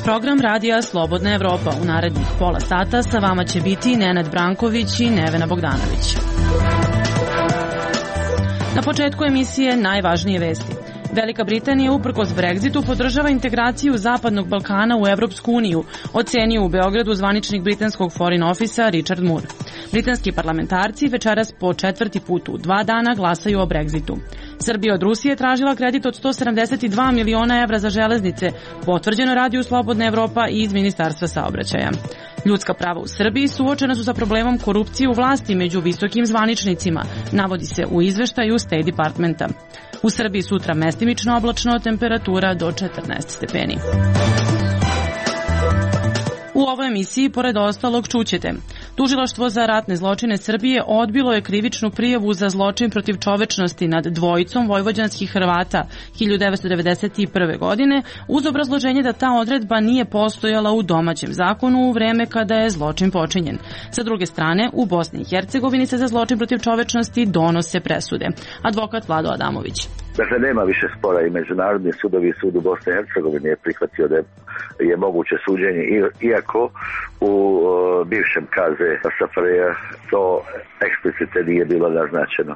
Program radija Slobodna Evropa u narednih pola sata sa vama će biti Nenad Branković i Nevena Bogdanović. Na početku emisije najvažnije vesti. Velika Britanija uprkos Brexitu podržava integraciju Zapadnog Balkana u Evropsku uniju, ocenio u Beogradu zvaničnik britanskog Foreign Officea Richard Moore. Britanski parlamentarci večeras po 4. put u 2 dana glasaju o Brexitu. Srbija od Rusije tražila kredit od 172 miliona evra za železnice, potvrđeno radiju Slobodna Evropa i iz Ministarstva saobraćaja. Ljudska prava u Srbiji suočena su sa problemom korupcije u vlasti među visokim zvaničnicima, navodi se u izveštaju State Departmenta. U Srbiji sutra mestimično oblačno, temperatura do 14 stepeni. U ovoj emisiji, pored ostalog, čućete. Tužilaštvo za ratne zločine Srbije odbilo je krivičnu prijavu za zločin protiv čovečnosti nad dvojicom vojvođanskih Hrvata 1991. godine uz obrazloženje da ta odredba nije postojala u domaćem zakonu u vreme kada je zločin počinjen. Sa druge strane, u Bosni i Hercegovini se za zločin protiv čovečnosti donose presude. Advokat Vlado Adamović. Dakle, nema više spora i Međunarodni sudovi i sud u Bosni i Hercegovini je prihvatio da je moguće suđenje, iako u bivšem kaze SFRJ to eksplicite nije bilo naznačeno.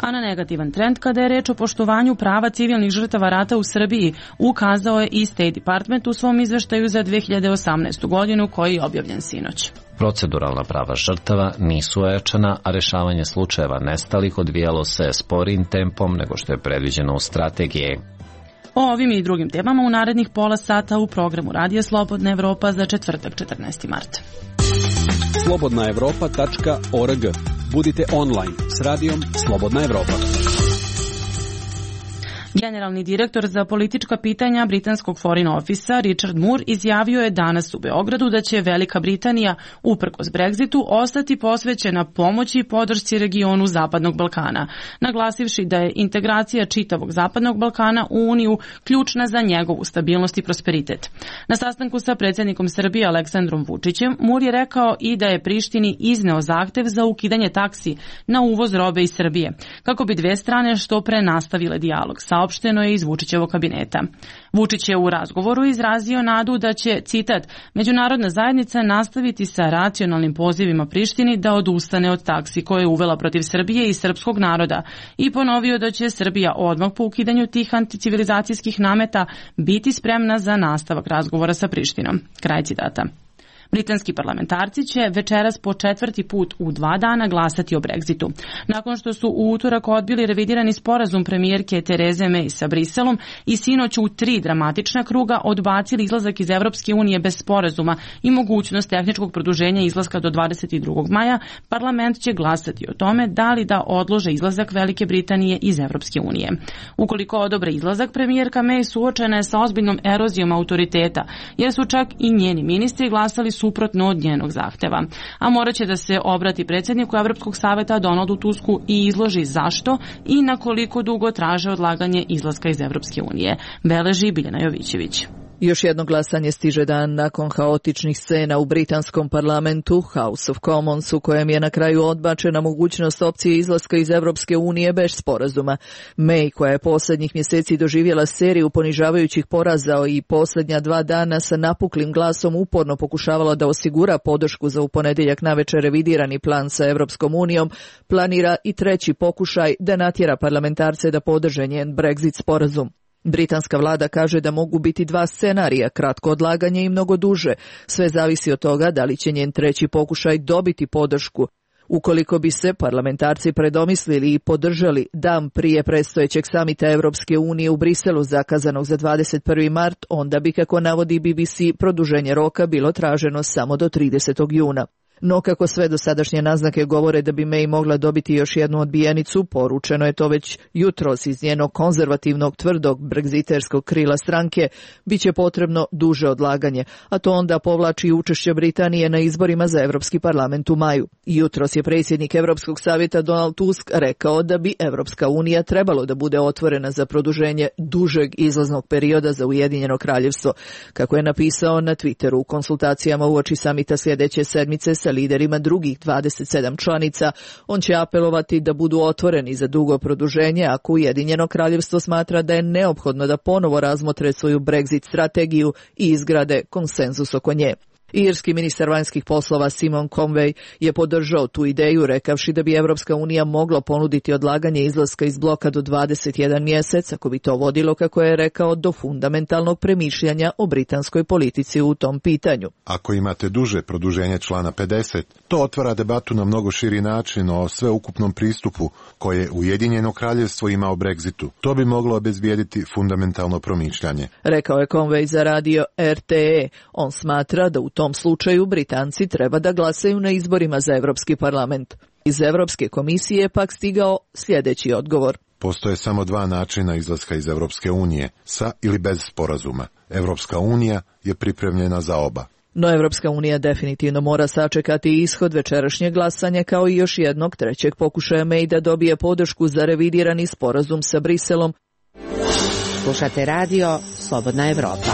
A na negativan trend kada je reč o poštovanju prava civilnih žrtava rata u Srbiji ukazao je i State Department u svom izveštaju za 2018. godinu koji je objavljen sinoć. Proceduralna prava žrtava nisu ojačana, a rešavanje slučajeva nestalih odvijalo se sporim tempom nego što je predviđeno u strategiji. O ovim i drugim temama u narednih pola sata u programu Radija Slobodna Evropa za četvrtak 14. mart. slobodnaevropa.org. Budite online s radijom Slobodna Evropa. Generalni direktor za politička pitanja britanskog Foreign Officea Richard Moore izjavio je danas u Beogradu da će Velika Britanija, uprkos Brexitu, ostati posvećena pomoći i podršci regionu Zapadnog Balkana, naglasivši da je integracija čitavog Zapadnog Balkana u Uniju ključna za njegovu stabilnost i prosperitet. Na sastanku sa predsjednikom Srbije Aleksandrom Vučićem, Moore je rekao i da je Prištini izneo zahtev za ukidanje taksi na uvoz robe iz Srbije, kako bi dve strane što pre nastavile dijalog, saopšteno je iz Vučićevog kabineta. Vučić je u razgovoru izrazio nadu da će, citat, međunarodna zajednica nastaviti sa racionalnim pozivima Prištini da odustane od taksi koje je uvela protiv Srbije i srpskog naroda i ponovio da će Srbija odmah po ukidanju tih anticivilizacijskih nameta biti spremna za nastavak razgovora sa Prištinom. Kraj citata. Britanski parlamentarci će večeras po 4. put u 2 dana glasati o Brexitu. Nakon što su u utorak odbili revidirani sporazum premijerke Tereze May sa Briselom i sinoć u 3 dramatična kruga odbacili izlazak iz Evropske unije bez sporazuma i mogućnost tehničkog produženja izlaska do 22. maja, parlament će glasati o tome da li da odlože izlazak Velike Britanije iz Evropske unije. Ukoliko odobre izlazak, premijerka May suočena je sa ozbiljnom erozijom autoriteta, jer su čak i njeni ministri glasali suprotno od njenog zahteva. A morat će da se obrati predsjedniku Evropskog saveta Donaldu Tusku i izloži zašto i na koliko dugo traže odlaganje izlaska iz Evropske unije. Beleži Biljana Jovićević. Još jedno glasanje stiže dan nakon haotičnih scena u britanskom parlamentu House of Commons u kojem je na kraju odbačena mogućnost opcije izlaska iz Evropske unije bez sporazuma. May, koja je posljednjih mjeseci doživjela seriju ponižavajućih poraza i posljednja 2 dana sa napuklim glasom uporno pokušavala da osigura podršku za u ponedjeljak navečer revidirani plan sa Evropskom unijom, planira i 3. pokušaj da natjera parlamentarce da podrže njen Brexit sporazum. Britanska vlada kaže da mogu biti 2 scenarija, kratko odlaganje i mnogo duže. Sve zavisi od toga da li će njen 3. pokušaj dobiti podršku. Ukoliko bi se parlamentarci predomislili i podržali dan prije predstojećeg samita Evropske unije u Briselu zakazanog za 21. mart, onda bi, kako navodi BBC, produženje roka bilo traženo samo do 30. juna. No kako sve dosadašnje naznake govore da bi May mogla dobiti još jednu odbijenicu, poručeno je to već jutros iz njenog konzervativnog tvrdog bregziterskog krila stranke, bit će potrebno duže odlaganje, a to onda povlači učešće Britanije na izborima za Evropski parlament u maju. Jutros je predsjednik Evropskog savjeta Donald Tusk rekao da bi Evropska unija trebalo da bude otvorena za produženje dužeg izlaznog perioda za Ujedinjeno kraljevstvo, kako je napisao na Twitteru u konsultacijama uoči samita sljedeće sedmice sa liderima drugih 27 članica. On će apelovati da budu otvoreni za dugo produženje ako Ujedinjeno kraljevstvo smatra da je neophodno da ponovo razmotre svoju Brexit strategiju i izgrade konsenzus oko nje. Irski ministar vanjskih poslova Simon Conway je podržao tu ideju rekavši da bi Evropska unija mogla ponuditi odlaganje izlaska iz bloka do 21 mjesec ako bi to vodilo, kako je rekao, do fundamentalnog premišljanja o britanskoj politici u tom pitanju. Ako imate duže produženje člana 50, to otvara debatu na mnogo širi način o sveukupnom pristupu koje Ujedinjeno kraljevstvo ima o Brexitu. To bi moglo obezbijediti fundamentalno promišljanje. Rekao je Conway za radio RTE. On smatra da u tom slučaju Britanci treba da glasaju na izborima za Evropski parlament. Iz Evropske komisije pak stigao sljedeći odgovor. Postoje samo dva načina izlaska iz Evropske unije, sa ili bez sporazuma. Evropska unija je pripremljena za oba. No Evropska unija definitivno mora sačekati ishod večerašnjeg glasanja kao i još jednog trećeg pokušaja May da dobije podršku za revidirani sporazum sa Briselom. Slušate radio Slobodna Evropa.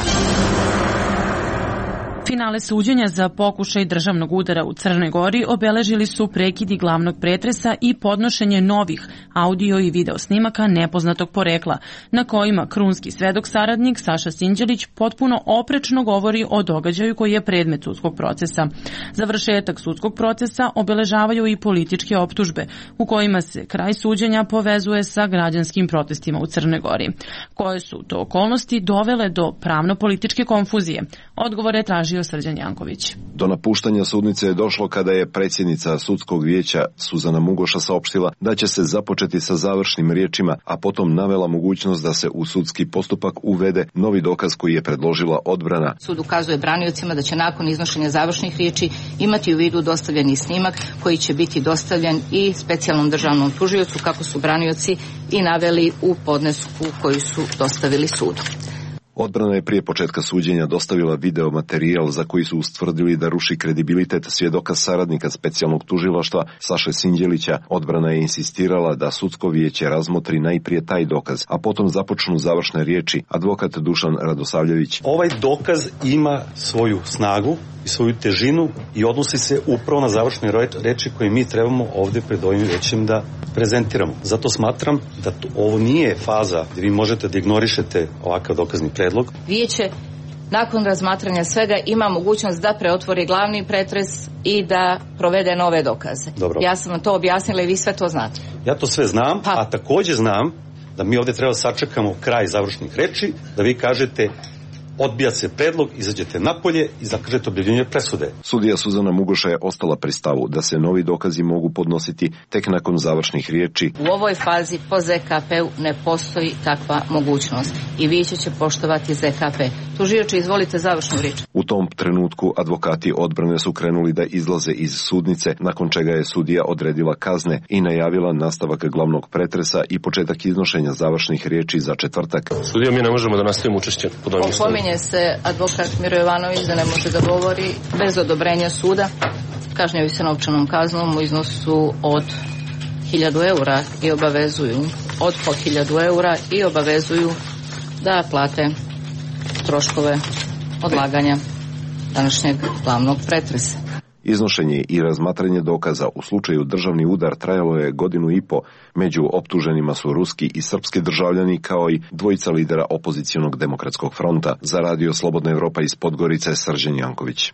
Finale suđenja za pokušaj državnog udara u Crnoj Gori obeležili su prekidi glavnog pretresa i podnošenje novih audio i video snimaka nepoznatog porekla, na kojima krunski svedok saradnik Saša Sinđelić potpuno oprečno govori o događaju koji je predmet sudskog procesa. Završetak sudskog procesa obeležavaju i političke optužbe, u kojima se kraj suđenja povezuje sa građanskim protestima u Crnoj Gori. Koje su to okolnosti dovele do pravno-političke konfuzije? Odgovore tražio Srđan Janković. Do napuštanja sudnice je došlo kada je predsjednica sudskog vijeća Suzana Mugoša saopštila da će se započeti sa završnim riječima, a potom navela mogućnost da se u sudski postupak uvede novi dokaz koji je predložila odbrana. Sud ukazuje braniocima da će nakon iznošenja završnih riječi imati u vidu dostavljeni snimak koji će biti dostavljen i specijalnom državnom tužiocu, kako su branioci i naveli u podnesku koji su dostavili sudu. Odbrana je prije početka suđenja dostavila video materijal za koji su ustvrdili da ruši kredibilitet svjedoka saradnika specijalnog tužilaštva Saše Sinđelića. Odbrana je insistirala da sudsko vijeće razmotri najprije taj dokaz, a potom započnu završne riječi. Advokat Dušan Radosavljević. Ovaj dokaz ima svoju snagu i svoju težinu i odnosi se upravo na završne reči koje mi trebamo ovdje pred ovim vijećem da prezentiramo. Zato smatram da ovo nije faza gdje vi možete da ignorišete ovakav dokazni predlog. Vijeće nakon razmatranja svega ima mogućnost da preotvori glavni pretres i da provede nove dokaze. Dobro. Ja sam vam to objasnila i vi sve to znate. Ja to sve znam, a također znam da mi ovdje treba sačekamo kraj završnih reči, da vi kažete odbija se predlog, izađete napolje i zakažete objavljenje presude. Sudija Suzana Mugoša je ostala pri stavu da se novi dokazi mogu podnositi tek nakon završnih riječi. U ovoj fazi po ZKP-u ne postoji takva mogućnost i vijeće će poštovati ZKP. Tužioče, izvolite završnu riječ. U tom trenutku advokati odbrane su krenuli da izlaze iz sudnice, nakon čega je sudija odredila kazne i najavila nastavak glavnog pretresa i početak iznošenja završnih riječi za četvrtak. Sudija, mi ne možemo da nastavimo učešće pod ovim ustavom. Opominje se advokat Miro Jovanović da ne može da govori bez odobrenja suda. Kažnjavaju se novčanom kaznom u iznosu od 1000 eura i obavezuju od po 1000 eura i obavezuju da plate troškove odlaganja današnjeg glavnog pretresa. Iznošenje i razmatranje dokaza u slučaju državni udar trajalo je 1,5 godinu. Među optuženima su ruski i srpski državljani kao i dvojica lidera opozicionog demokratskog fronta. Za radio Slobodna Evropa iz Podgorice, Srđan Janković.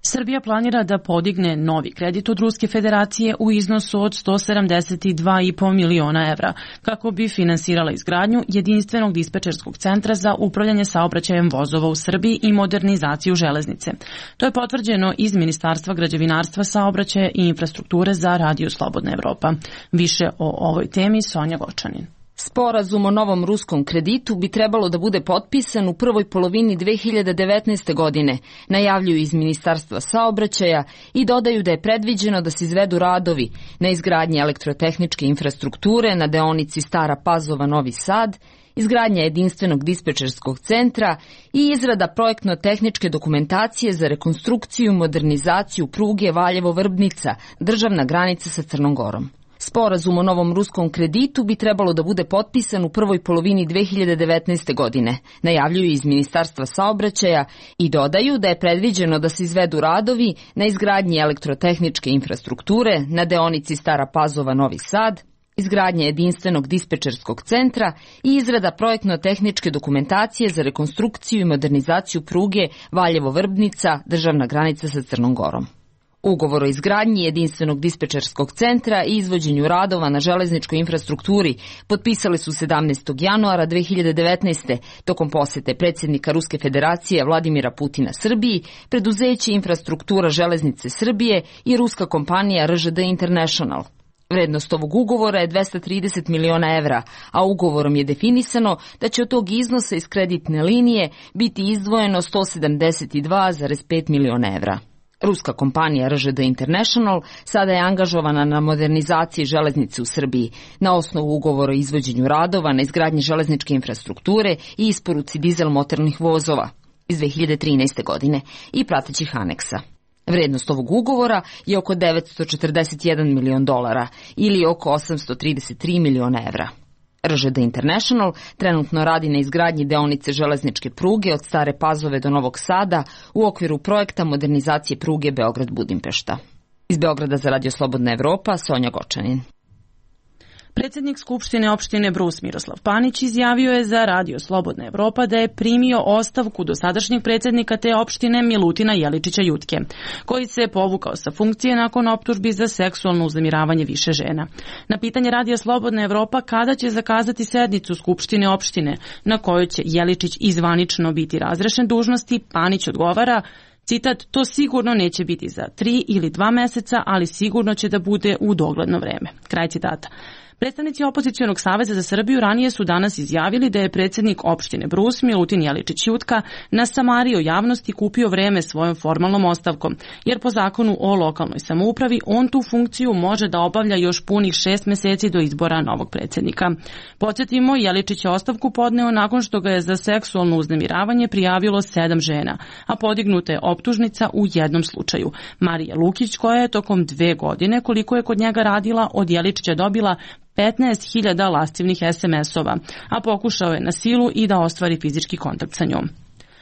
Srbija planira da podigne novi kredit od Ruske federacije u iznosu od 172,5 miliona evra kako bi finansirala izgradnju jedinstvenog dispečerskog centra za upravljanje saobraćajem vozova u Srbiji i modernizaciju železnice. To je potvrđeno iz Ministarstva građevinarstva, saobraćaja i infrastrukture za radio Slobodna Evropa. Više o ovoj temi Sonja Gočanin. Sporazum o novom ruskom kreditu bi trebalo da bude potpisan u prvoj polovini 2019. godine, najavljuju iz Ministarstva saobraćaja i dodaju da je predviđeno da se izvedu radovi na izgradnji elektrotehničke infrastrukture na deonici Stara Pazova-Novi Sad, izgradnja jedinstvenog dispečerskog centra i izrada projektno-tehničke dokumentacije za rekonstrukciju i modernizaciju pruge Valjevo-Vrbnica, državna granica sa Crnom Gorom. Sporazum o novom ruskom kreditu bi trebalo da bude potpisan u prvoj polovini 2019. godine, najavljuju iz Ministarstva saobraćaja i dodaju da je predviđeno da se izvedu radovi na izgradnji elektrotehničke infrastrukture na deonici Stara Pazova-Novi Sad, izgradnja jedinstvenog dispečerskog centra i izrada projektno-tehničke dokumentacije za rekonstrukciju i modernizaciju pruge Valjevo-Vrbnica, državna granica sa Crnom Gorom. Ugovor o izgradnji jedinstvenog dispečerskog centra i izvođenju radova na železničkoj infrastrukturi potpisali su 17. januara 2019. tokom posete predsjednika Ruske federacije Vladimira Putina Srbiji, preduzeće Infrastruktura železnice Srbije i ruska kompanija RŽD International. Vrednost ovog ugovora je 230 miliona evra, a ugovorom je definisano da će od tog iznosa iz kreditne linije biti izdvojeno 172,5 miliona evra. Ruska kompanija RŽD International sada je angažovana na modernizaciji železnice u Srbiji na osnovu ugovora o izvođenju radova na izgradnji železničke infrastrukture i isporuci dizel motornih vozova iz 2013. godine i pratećih aneksa. Vrednost ovog ugovora je oko 941 milion dolara ili oko 833 miliona evra. RŽD International trenutno radi na izgradnji deonice železničke pruge od Stare Pazove do Novog Sada u okviru projekta modernizacije pruge Beograd-Budimpešta. Iz Beograda za Radio Slobodna Evropa, Sonja Gočanin. Predsjednik Skupštine opštine Brus Miroslav Panić izjavio je za Radio Slobodna Evropa da je primio ostavku dosadašnjeg predsjednika te opštine Milutina Jeličića Jutke, koji se povukao sa funkcije nakon optužbi za seksualno uznemiravanje više žena. Na pitanje Radio Slobodna Evropa kada će zakazati sednicu Skupštine opštine na kojoj će Jeličić izvanično biti razrešen dužnosti, Panić odgovara: citat, to sigurno neće biti za 3 ili 2 meseca, ali sigurno će da bude u dogledno vreme. Kraj citata. Predstavnici Opozicionog saveza za Srbiju ranije su danas izjavili da je predsjednik opštine Brus Milutin Jeličić Jutka nasamario javnosti i kupio vreme svojom formalnom ostavkom, jer po zakonu o lokalnoj samoupravi on tu funkciju može da obavlja još punih 6 meseci do izbora novog predsjednika. Podsjetimo, Jeličić je ostavku podneo nakon što ga je za seksualno uznemiravanje prijavilo 7 žena, a podignuta je optužnica u jednom slučaju. Marija Lukić, koja je tokom 2 godine, koliko je kod njega radila, od Jeličića dobila 15.000 lascivnih SMS-ova, a pokušao je na silu i da ostvari fizički kontakt sa njom.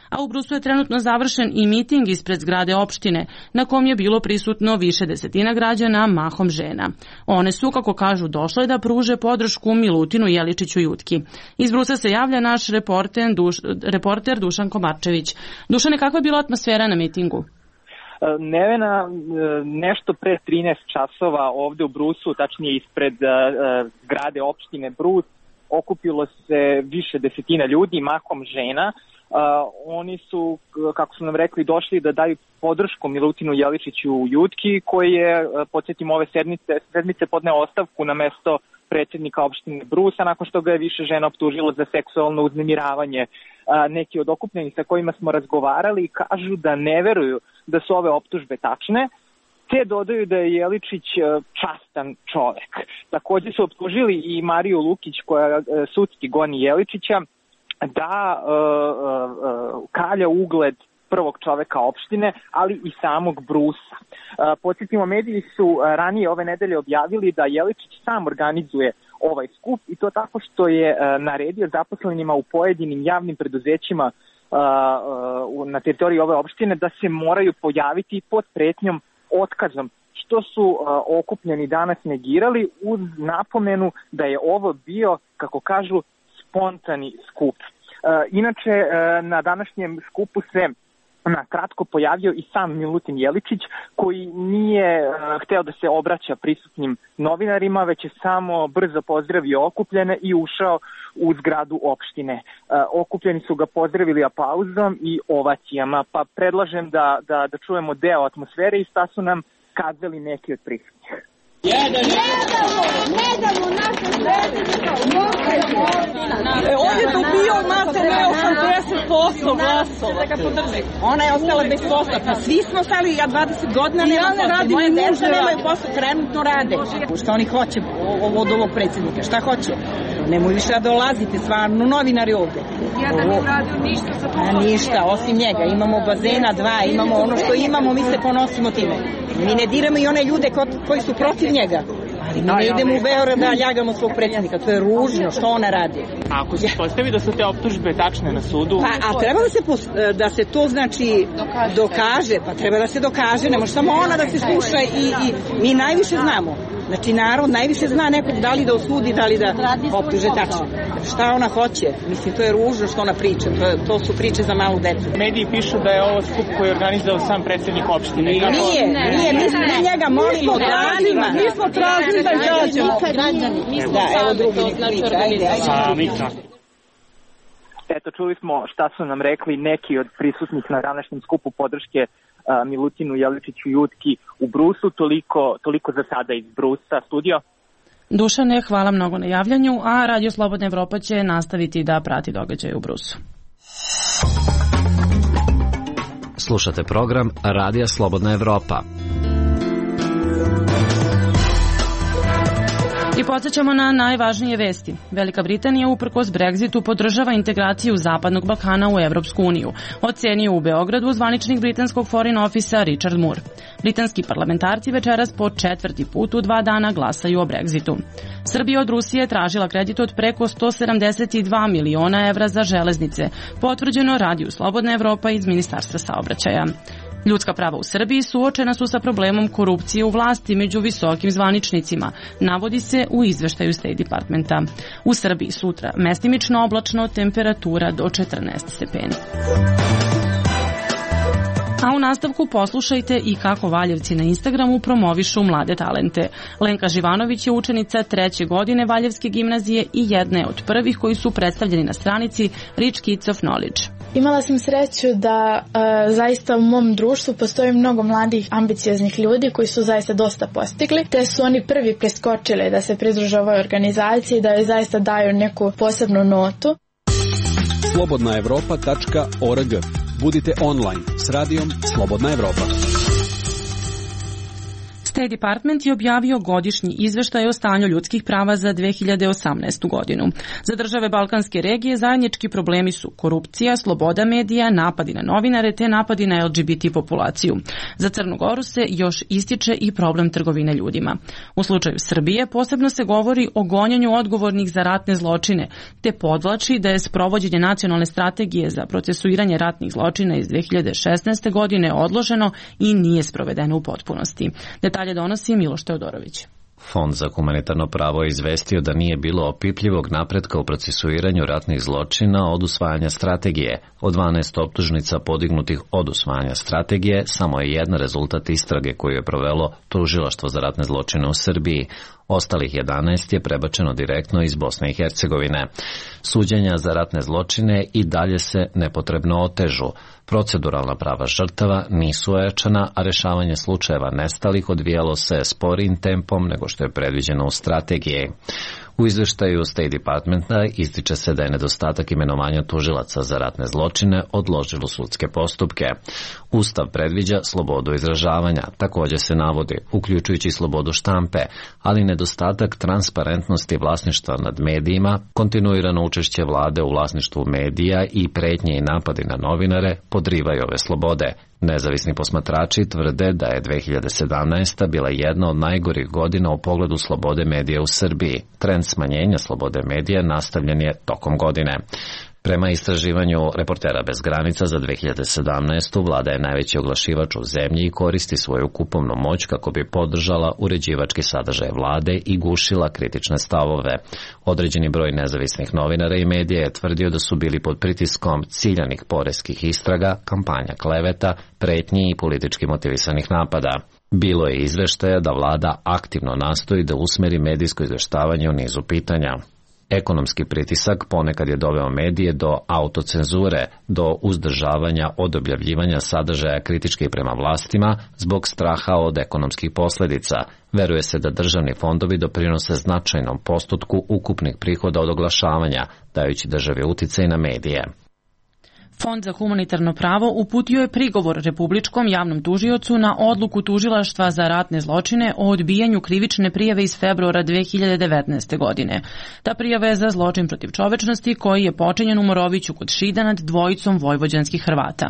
A u Brusu je trenutno završen i miting ispred zgrade opštine, na kom je bilo prisutno više desetina građana, mahom žena. One su, kako kažu, došle da pruže podršku Milutinu Jeličiću Jutki. Iz Brusa se javlja naš reporter Dušan Komarčević. Dušane, kakva je bila atmosfera na mitingu? Nevena, nešto pre 13 časova ovde u Brusu, tačnije ispred zgrade opštine Brus, okupilo se više desetina ljudi, mahom žena. Oni su, kako su nam rekli, došli da daju podršku Milutinu Jeličiću Jutki, koji je, podsjetim, ove sedmice podneo ostavku na mesto predsjednika opštine Brusa, nakon što ga je više žena optužilo za seksualno uznemiravanje. Neki od okupljenih sa kojima smo razgovarali kažu da ne veruju da su ove optužbe tačne, te dodaju da je Jeličić častan čovek. Također su optužili i Mariju Lukić, koja sudski goni Jeličića, da kalja ugled prvog čoveka opštine, ali i samog Brusa. Podsjetimo, mediji su ranije ove nedelje objavili da Jeličić sam organizuje ovaj skup i to tako što je naredio zaposlenima u pojedinim javnim preduzećima na teritoriji ove opštine da se moraju pojaviti pod pretnjom otkazom, što su okupljeni danas negirali uz napomenu da je ovo bio, kako kažu, spontani skup. Inače, na današnjem skupu se na kratko pojavio i sam Milutin Jeličić, koji nije hteo da se obraća prisutnim novinarima, već je samo brzo pozdravio okupljene i ušao u zgradu opštine. Okupljeni su ga pozdravili aplauzom i ovacijama, pa predlažem da čujemo deo atmosfere i šta su nam kazali neki od prisutnih. Ne damo naše predsjednika. On je dobio malte ne 80% glasova. Ona je ostala bez posla. Pa svi smo stali, ja 20 godina nema posla. Moje deca nemaju posla, trenutno rade. Šta oni hoće od ovog predsjednika? Šta hoće? Nemoj više da dolazite, stvarno, novinari ovde. Ja da ne radio ništa za to. Ništa, osim njega. Imamo bazena 2, imamo ono što imamo, mi se ponosimo time. Mi ne diramo i one ljude koji su protiv njega. Ali mi ne idemo u Beograd da ljagamo svog predsjednika, to je ružno, što ona radi. A ako se postavi da su te optužbe tačne na sudu? Pa, a treba da se to znači dokaže, pa treba da se dokaže, ne može samo ona da se sluša i mi najviše znamo. Znači narod najviše zna nekog da li da osudi, da li da optuže tačno. Šta ona hoće? Mislim, to je ružno što ona priča, to su priče za malu decu. Mediji pišu da je ovo skup koji je organizao sam predsjednik opštine. Nije, mi njega molimo danima. Mi smo tražili da izađemo. Da, evo drugi priča. Eto, čuli smo šta su nam rekli neki od prisutnih na današnjem skupu podrške Milutinu Jeličiću Jutki u Brusu. Toliko za sada iz Brusa. Studio. Dušane, hvala mnogo na javljanju, a Radio Slobodna Evropa će nastaviti da prati događaje u Brusu. Slušate program Radija Slobodna Evropa. I podsjećamo na najvažnije vesti. Velika Britanija uprkos Brexitu podržava integraciju Zapadnog Balkana u Evropsku uniju, ocenio u Beogradu zvaničnik britanskog Foreign Officea Richard Moore. Britanski parlamentarci večeras po 4. put u 2 dana glasaju o Brexitu. Srbija od Rusije tražila kredit od preko 172 miliona evra za železnice, potvrđeno Radiju Slobodna Evropa iz Ministarstva saobraćaja. Ljudska prava u Srbiji suočena su sa problemom korupcije u vlasti među visokim zvaničnicima, navodi se u izveštaju State Departmenta. U Srbiji sutra mestimično oblačno, temperatura do 14 stepeni. A u nastavku poslušajte i kako Valjevci na Instagramu promovišu mlade talente. Lenka Živanović je učenica 3. godine Valjevske gimnazije i jedne od prvih koji su predstavljeni na stranici Rich Kids of Knowledge. Imala sam sreću da zaista u mom društvu postoji mnogo mladih ambicioznih ljudi koji su zaista dosta postigli, te su oni prvi preskočili da se pridruže ovoj organizaciji, da joj zaista daju neku posebnu notu. slobodnaevropa.org. Budite online s radijom Slobodna Evropa. State Department je objavio godišnji izveštaj o stanju ljudskih prava za 2018. godinu. Za države Balkanske regije zajednički problemi su korupcija, sloboda medija, napadi na novinare te napadi na LGBT populaciju. Za Crnu Goru se još ističe i problem trgovine ljudima. U slučaju Srbije posebno se govori o gonjenju odgovornih za ratne zločine, te podvlači da je sprovođenje nacionalne strategije za procesuiranje ratnih zločina iz 2016. godine odloženo i nije sprovedeno u potpunosti. Detalje donosi Miloš Teodorović. Fond za humanitarno pravo je izvestio da nije bilo opipljivog napretka u procesuiranju ratnih zločina od usvajanja strategije. Od 12 optužnica podignutih od usvajanja strategije, samo je jedan rezultat istrage koju je provelo Tužilaštvo za ratne zločine u Srbiji. Ostalih 11 je prebačeno direktno iz Bosne i Hercegovine. Suđenja za ratne zločine i dalje se nepotrebno otežu. Proceduralna prava žrtava nisu ojačana, a rešavanje slučajeva nestalih odvijalo se sporim tempom nego što je predviđeno u strategiji. U izveštaju State Departmenta ističe se da je nedostatak imenovanja tužilaca za ratne zločine odložilo sudske postupke. Ustav predviđa slobodu izražavanja, također se navodi, uključujući slobodu štampe, ali nedostatak transparentnosti vlasništva nad medijima, kontinuirano učešće vlade u vlasništvu medija i pretnje i napadi na novinare podrivaju ove slobode. Nezavisni posmatrači tvrde da je 2017. bila jedna od najgorih godina u pogledu slobode medija u Srbiji. Trend smanjenja slobode medija nastavljen je tokom godine. Prema istraživanju Reportera bez granica za 2017. vlada je najveći oglašivač u zemlji i koristi svoju kupovnu moć kako bi podržala uređivački sadržaj vlade i gušila kritične stavove. Određeni broj nezavisnih novinara i medija je tvrdio da su bili pod pritiskom ciljanih poreskih istraga, kampanja kleveta, pretnji i politički motivisanih napada. Bilo je izveštaja da vlada aktivno nastoji da usmeri medijsko izveštavanje u nizu pitanja. Ekonomski pritisak ponekad je doveo medije do autocenzure, do uzdržavanja od objavljivanja sadržaja kritičkih prema vlastima zbog straha od ekonomskih posljedica. Veruje se da državni fondovi doprinose značajnom postotku ukupnih prihoda od oglašavanja, dajući državi uticaj na medije. Fond za humanitarno pravo uputio je prigovor Republičkom javnom tužiocu na odluku Tužilaštva za ratne zločine o odbijanju krivične prijave iz februara 2019. godine. Ta prijava je za zločin protiv čovečnosti koji je počinjen u Moroviću kod Šida nad dvojicom vojvođanskih Hrvata.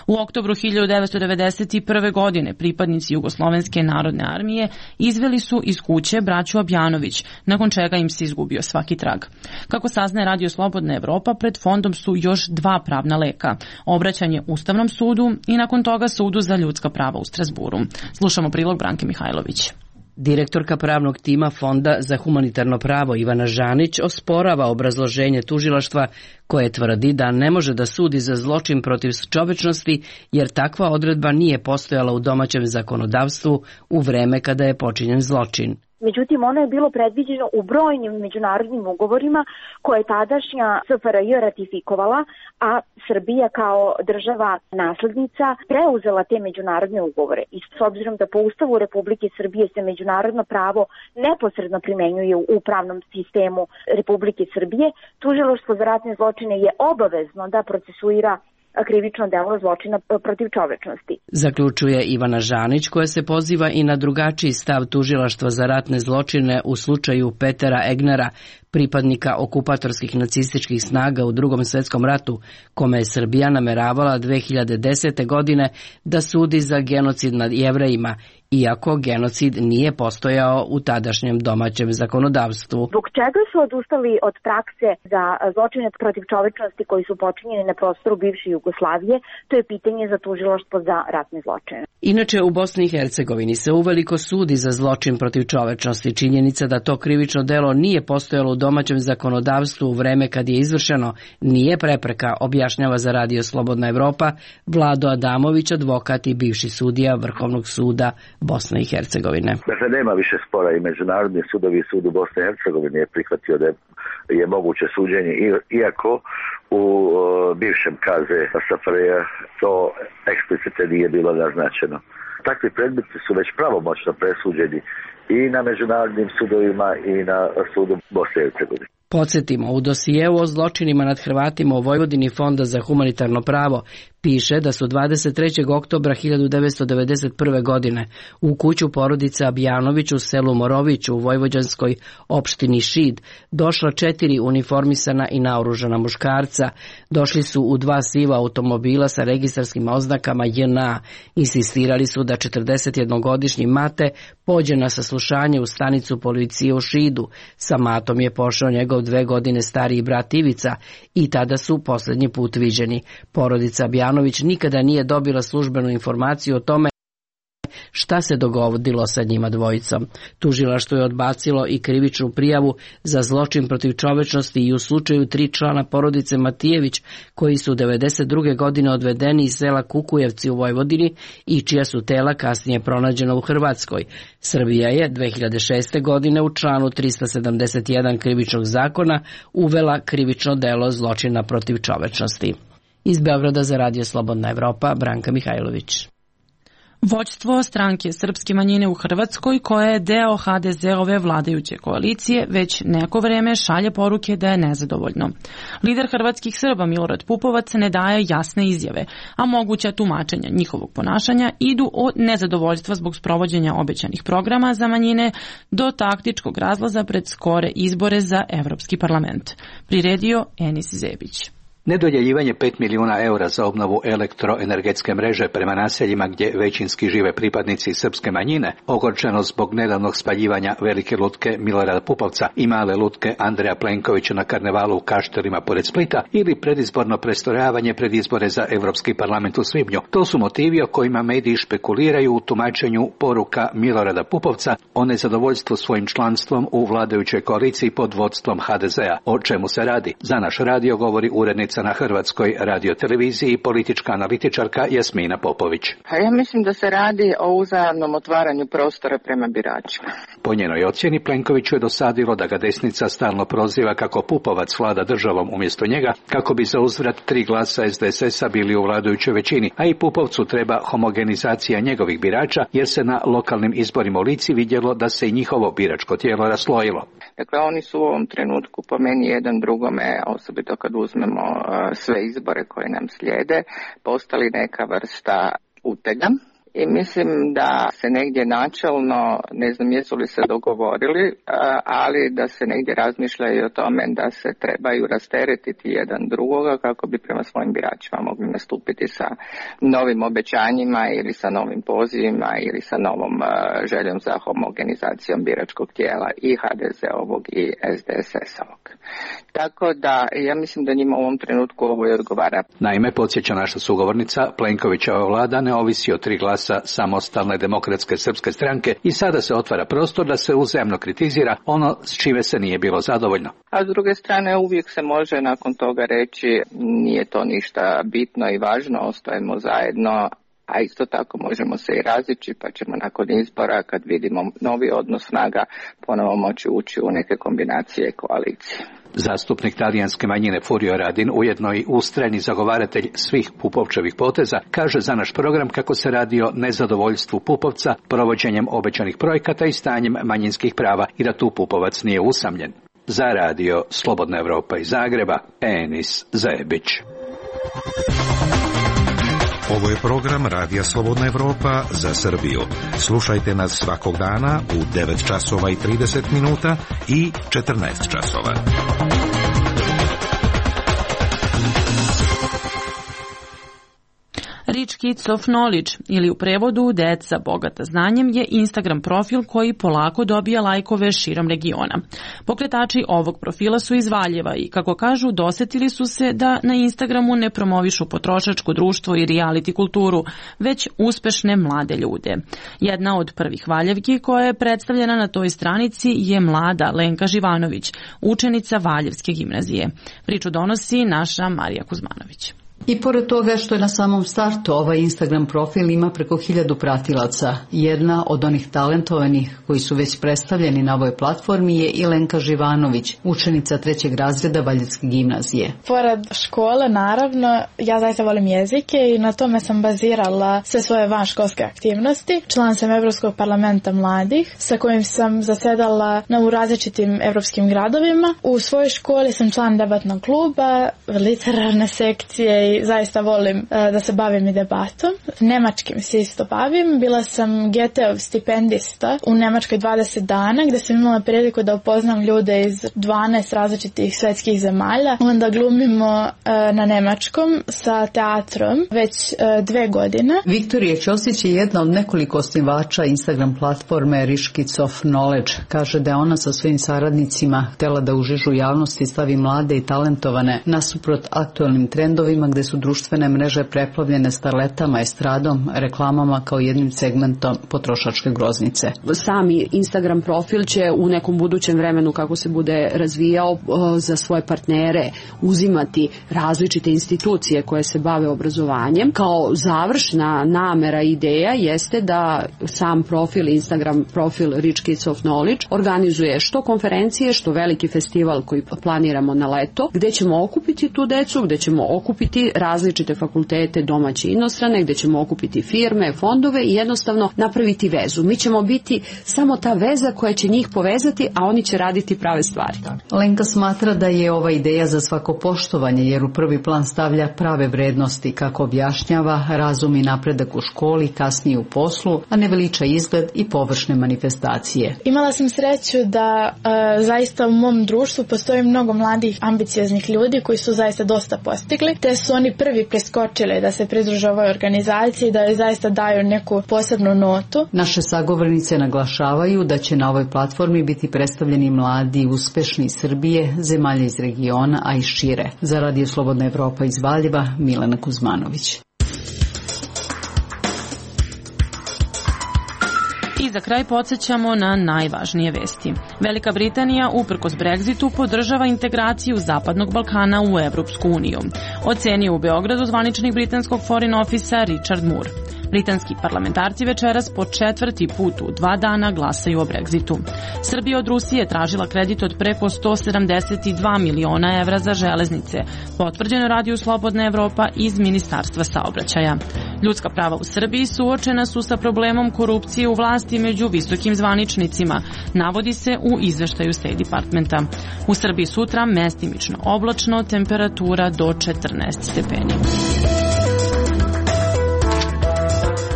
U oktobru 1991. godine pripadnici Jugoslovenske narodne armije izveli su iz kuće braću Abjanović, nakon čega im se izgubio svaki trag. Kako saznaje Radio Slobodna Evropa, pred fondom su još dva pravna leka, obraćanje Ustavnom sudu i nakon toga Sudu za ljudska prava u Strasburu. Slušamo prilog Branke Mihajlović. Direktorka pravnog tima Fonda za humanitarno pravo Ivana Žanić osporava obrazloženje tužilaštva koje tvrdi da ne može da sudi za zločin protiv čovečnosti jer takva odredba nije postojala u domaćem zakonodavstvu u vreme kada je počinjen zločin. Međutim, ono je bilo predviđeno u brojnim međunarodnim ugovorima koje je tadašnja SFRJ ratifikovala, a Srbija kao država naslednica preuzela te međunarodne ugovore. I s obzirom da po Ustavu Republike Srbije se međunarodno pravo neposredno primenjuje u pravnom sistemu Republike Srbije, Tužilaštvo za ratne zločine je obavezno da procesuira krivično delo zločina protiv čovečnosti. Zaključuje Ivana Žanić, koja se poziva i na drugačiji stav Tužilaštva za ratne zločine u slučaju Petera Egnera, pripadnika okupatorskih nacističkih snaga u Drugom svetskom ratu, kome je Srbija nameravala 2010. godine da sudi za genocid nad Jevrejima, iako genocid nije postojao u tadašnjem domaćem zakonodavstvu. Zbog čega su odustali od prakse za zločine protiv čovečnosti koji su počinjeni na prostoru bivše Jugoslavije? To je pitanje za Tužilaštvo za ratne zločine. Inače, u Bosni i Hercegovini se uveliko sudi za zločin protiv čovečnosti. Činjenica da to krivično delo nije postojalo u domaćem zakonodavstvu u vreme kad je izvršeno nije prepreka, objašnjava za Radio Slobodna Evropa Vlado Adamović, advokat i bivši sudija Vrhovnog suda Bosne i Hercegovine. Dakle, nema više spora i Međunarodni sudovi i sud u Bosne i Hercegovini je prihvatio da je moguće suđenje, iako u bivšem kaze SFRJ to eksplicite nije bilo naznačeno. Takvi predmeti su već pravomoćno presuđeni i na međunarodnim sudovima i na sudu Bosne i Hercegovine. Podsjetimo, u dosijeu o zločinima nad Hrvatima u Vojvodini Fonda za humanitarno pravo piše da su 23. oktobra 1991. godine u kuću porodice Abjanović u selu Morović u vojvođanskoj opštini Šid došla 4 uniformisana i naoružana muškarca. Došli su u 2 siva automobila sa registarskim oznakama JNA. Insistirali su da 41-godišnji Mate pođe na saslušanje u stanicu policije u Šidu. Sa Matom je pošao njegov 2 godine stariji brat Ivica i tada su posljednji put viđeni. Porodica Abjanović nikada nije dobila službenu informaciju o tome šta se dogodilo sa njima dvojicom. Tužilaštvo je odbacilo i krivičnu prijavu za zločin protiv čovečnosti i u slučaju 3 člana porodice Matijević koji su 1992. godine odvedeni iz sela Kukujevci u Vojvodini i čija su tela kasnije pronađena u Hrvatskoj. Srbija je 2006. godine u članu 371 krivičnog zakona uvela krivično delo zločina protiv čovečnosti. Iz Beograda za Radio Slobodna Evropa, Branka Mihajlović. Vođstvo stranke srpske manjine u Hrvatskoj, koja je deo HDZ-ove vladajuće koalicije, već neko vreme šalje poruke da je nezadovoljno. Lider hrvatskih Srba Milorad Pupovac ne daje jasne izjave, a moguća tumačenja njihovog ponašanja idu od nezadovoljstva zbog sprovođenja obećanih programa za manjine do taktičkog razlaza pred skore izbore za Evropski parlament. Priredio Enis Zebić. Nedodjeljivanje 5 milijuna eura za obnovu elektroenergetske mreže prema naseljima gdje većinski žive pripadnici srpske manjine, ogorčeno zbog nedavnog spaljivanja velike lutke Milorada Pupovca i male lutke Andreja Plenkovića na karnevalu u Kaštelima pored Splita ili predizborno prestrojavanje pred izbore za Evropski parlament u svibnju. To su motivi o kojima mediji špekuliraju u tumačenju poruka Milorada Pupovca o nezadovoljstvu svojim članstvom u vladajućoj koaliciji pod vodstvom HDZ-a. O čemu se radi? Za naš radio govori urednica na Hrvatskoj radioteleviziji i politička analitičarka Jasmina Popović. Ja mislim da se radi o uzajamnom otvaranju prostora prema biračima. Po njenoj ocjeni Plenkoviću je dosadilo da ga desnica stalno proziva kako Pupovac vlada državom umjesto njega, kako bi za uzvrat 3 glasa SDSS-a bili u vladajućoj većini, a i Pupovcu treba homogenizacija njegovih birača, jer se na lokalnim izborima u Lici vidjelo da se i njihovo biračko tijelo raslojilo. Dakle, oni su u ovom trenutku po meni jedan drugome, osobito kad uzmemo sve izbore koje nam slijede postali neka vrsta utega. I mislim da se negdje načelno, ne znam jesu li se dogovorili, ali da se negdje razmišljaju o tome da se trebaju rasteretiti jedan drugoga kako bi prema svojim biračima mogli nastupiti sa novim obećanjima ili sa novim pozivima ili sa novom željom za homogenizacijom biračkog tijela i HDZ-ovog i SDSS-ovog. Tako da ja mislim da njima u ovom trenutku ovo i odgovara. Naime, podsjeća naša sugovornica, Plenkovićeva vlada ne ovisi o 3 glasa Samostalne demokratske srpske stranke i sada se otvara prostor da se uzajamno kritizira ono s čime se nije bilo zadovoljno. A s druge strane uvijek se može nakon toga reći nije to ništa bitno i važno, ostajemo zajedno, a isto tako možemo se i razići pa ćemo nakon izbora kad vidimo novi odnos snaga ponovo moći ući u neke kombinacije koalicije. Zastupnik talijanske manjine Furio Radin, ujedno i ustrajni zagovaratelj svih Pupovčevih poteza, kaže za naš program kako se radi o nezadovoljstvu Pupovca, provođenjem obećanih projekata i stanjem manjinskih prava i da tu Pupovac nije usamljen. Za radio Slobodna Evropa iz Zagreba, Enis Zajebić. Ovo je program Radija Slobodna Evropa za Srbiju. Slušajte nas svakog dana u 9 časova i 30 minuta i 14 časova. Rich Kids of Knowledge ili u prevodu Deca bogata znanjem je Instagram profil koji polako dobija lajkove širom regiona. Pokretači ovog profila su iz Valjeva i, kako kažu, dosetili su se da na Instagramu ne promovišu potrošačko društvo i reality kulturu, već uspešne mlade ljude. Jedna od prvih Valjevki koja je predstavljena na toj stranici je mlada Lenka Živanović, učenica Valjevske gimnazije. Priču donosi naša Marija Kuzmanović. I pored toga što je na samom startu ovaj Instagram profil ima preko 1000 pratilaca, jedna od onih talentovanih koji su već predstavljeni na ovoj platformi je i Lenka Živanović, učenica 3. razreda Valjevske gimnazije. Pored škole, naravno, ja zaista volim jezike i na tome sam bazirala sve svoje vanškolske aktivnosti. Član sam Evropskog parlamenta mladih, sa kojim sam zasedala u različitim evropskim gradovima. U svojoj školi sam član debatnog kluba, literarne sekcije i zaista volim da se bavim i debatom. Nemačkim se isto bavim. Bila sam GT-ov stipendista u Nemačkoj 20 dana gdje sam imala priliku da upoznam ljude iz 12 različitih svetskih zemalja. Onda glumimo na nemačkom sa teatrom već 2 godine. Viktorija Ćosić je jedna od nekoliko osnivača Instagram platforme Rich Kids of Knowledge. Kaže da je ona sa svojim saradnicima htjela da u žižu javnosti stavi mlade i talentovane nasuprot aktualnim trendovima gdje su društvene mreže preplavljene starletama, estradom, reklamama kao jednim segmentom potrošačke groznice. Sami Instagram profil će u nekom budućem vremenu, kako se bude razvijao, za svoje partnere uzimati različite institucije koje se bave obrazovanjem. Kao završna namera i ideja jeste da sam profil, Instagram profil Rich Kids of Knowledge organizuje što konferencije, što veliki festival koji planiramo na leto, gdje ćemo okupiti tu decu, gdje ćemo okupiti različite fakultete, domaće i inostrane, gdje ćemo okupiti firme, fondove i jednostavno napraviti vezu. Mi ćemo biti samo ta veza koja će njih povezati, a oni će raditi prave stvari. Lenka smatra da je ova ideja za svako poštovanje, jer u prvi plan stavlja prave vrednosti, kako objašnjava, razum i napredak u školi, kasnije u poslu, a ne veliča izgled i površne manifestacije. Imala sam sreću da zaista u mom društvu postoji mnogo mladih ambicioznih ljudi koji su zaista dosta postigli, te su oni prvi preskočili da se pridruže ovoj organizaciji i da joj zaista daju neku posebnu notu. Naše sagovornice naglašavaju da će na ovoj platformi biti predstavljeni mladi uspešni iz Srbije, zemalja iz regiona, a i šire. Za Radio Slobodna Evropa iz Valjeva, Milena Kuzmanović. I za kraj podsjećamo na najvažnije vesti. Velika Britanija, uprkos Brexitu, podržava integraciju Zapadnog Balkana u Evropsku uniju. Ocenio u Beogradu zvaničnik britanskog Foreign Officea Richard Moore. Britanski parlamentarci večeras po 4. put u 2 dana glasaju o Brexitu. Srbija od Rusije tražila kredit od preko 172 miliona evra za železnice, potvrđeno Radiju Slobodna Evropa iz Ministarstva saobraćaja. Ljudska prava u Srbiji suočena su sa problemom korupcije u vlasti među visokim zvaničnicima, navodi se u izveštaju State Departmenta. U Srbiji sutra mestimično oblačno, temperatura do 14 stepeni.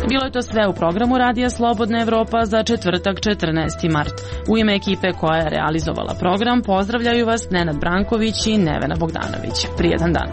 Bilo je to sve u programu Radija Slobodna Evropa za četvrtak 14. mart. U ime ekipe koja je realizovala program pozdravljaju vas Nenad Branković i Nevena Bogdanović. Prijetan dan.